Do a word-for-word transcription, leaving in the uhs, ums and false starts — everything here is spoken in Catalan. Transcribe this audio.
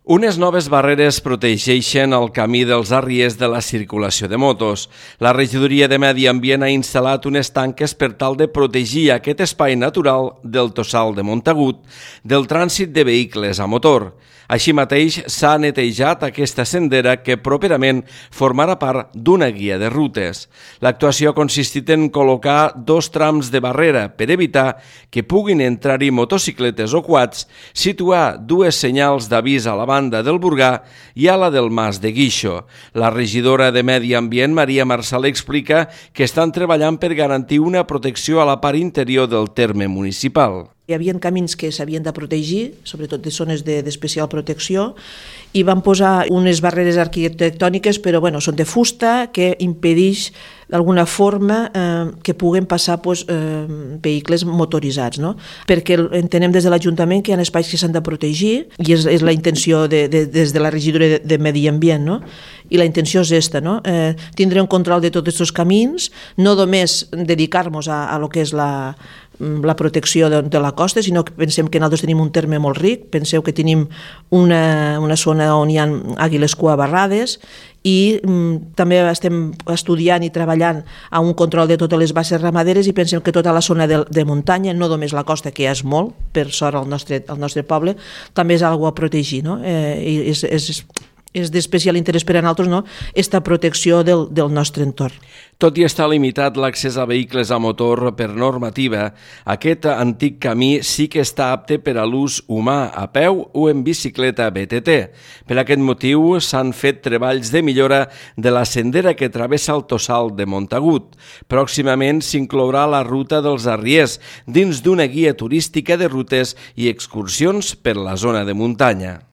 Unes noves barreres protegeixen el camí dels arriers de la circulació de motos. La regidoria de Medi Ambient ha instal·lat unes tanques per tal de protegir aquest espai natural del Tossal de Montagut del trànsit de vehicles a motor. Així mateix, s'ha netejat aquesta sendera que properament formarà part d'una guia de rutes. L'actuació ha consistit en col·locar dos trams de barrera per evitar que puguin entrar-hi motocicletes o quads, situar dues senyals d'avís a la banda del Burgà i a la del Mas de Guixo. La regidora de Medi Ambient, Maria Marçal, explica que estan treballant per garantir una protecció a la part interior del terme municipal. Hi havia camins que s'havien de protegir, sobretot de zones d'especial protecció, i van posar unes barreres arquitectòniques, però bueno, són de fusta, que impedeix d'alguna forma eh, que puguen passar pues, eh, vehicles motoritzats, no? Perquè entenem des de l'Ajuntament que hi ha espais que s'han de protegir i és, és la intenció de, de, des de la regidoria de, de Medi Ambient, no? I la intenció és esta, no? Eh, tindre un control de tots aquests camins, no només dedicar-nos a, a lo que és la la protecció de, de la costa, sinó que pensem que nosaltres tenim un terme molt ric, penseu que tenim una, una zona on hi ha àguiles cuabarrades i mm, també estem estudiant i treballant a un control de totes les basses ramaderes i pensem que tota la zona de, de muntanya, no només la costa, que ja és molt, per sort al nostre, al nostre poble, també és algo a protegir, no? Eh, és, és, és d'especial interès per a nosaltres, no? Esta protecció del, del nostre entorn. Tot i estar limitat l'accés a vehicles a motor per normativa, aquest antic camí sí que està apte per a l'ús humà a peu o en bicicleta B T T. Per aquest motiu s'han fet treballs de millora de la sendera que travessa el Tossal de Montagut. Pròximament s'inclourà la ruta dels arriers dins d'una guia turística de rutes i excursions per la zona de muntanya.